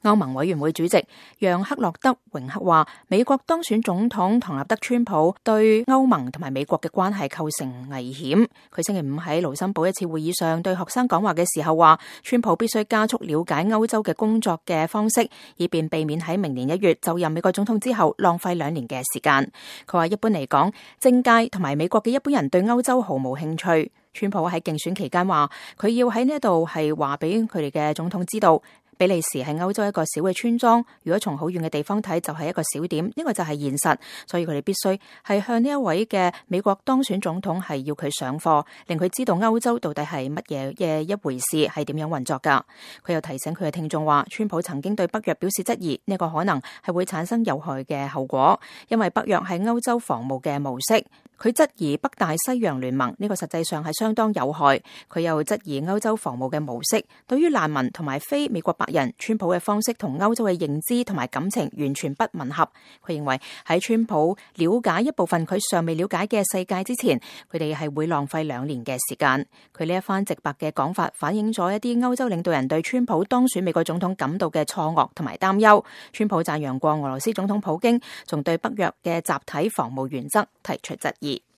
歐盟委員會主席讓克洛德榮克話，美國當選總統唐納德川普對歐盟同埋美國嘅關係構成危險。佢星期五喺盧森堡一次會議上對學生講話嘅時候話，川普必須加速了解歐洲嘅工作嘅方式，以便避免喺明年1月就任美國總統之後浪費2年嘅時間。佢話一般嚟講，政界同埋美國嘅一般人對歐洲毫無興趣。川普喺競選期間話，佢要喺呢度係話俾佢哋嘅總統知道，比利時係歐洲一個小嘅村莊，如果從好遠嘅地方睇就係一個小點，呢個就係現實，所以佢哋必須係向呢一位嘅美國當選總統係要佢上課，令佢知道歐洲到底係乜嘢嘅一回事，係點樣運作噶。佢又提醒佢嘅聽眾話，川普曾經對北約表示質疑，呢個可能係會產生有害嘅後果，因為北約係歐洲防務嘅模式。佢質疑北大西洋聯盟，呢個實際上係相當有害。佢又質疑歐洲防務嘅模式，對於難民同埋非美國白人，川普嘅方式同歐洲嘅認知同埋感情完全不吻合。佢認為喺川普了解一部分佢尚未了解嘅世界之前，佢哋係會浪費2年嘅時間。佢呢一番直白嘅講法反映咗一啲歐洲領導人對川普當選美國總統感到嘅錯愕同埋擔憂。川普讚揚過俄羅斯總統普京，仲對北約嘅集體防務原則提出質疑。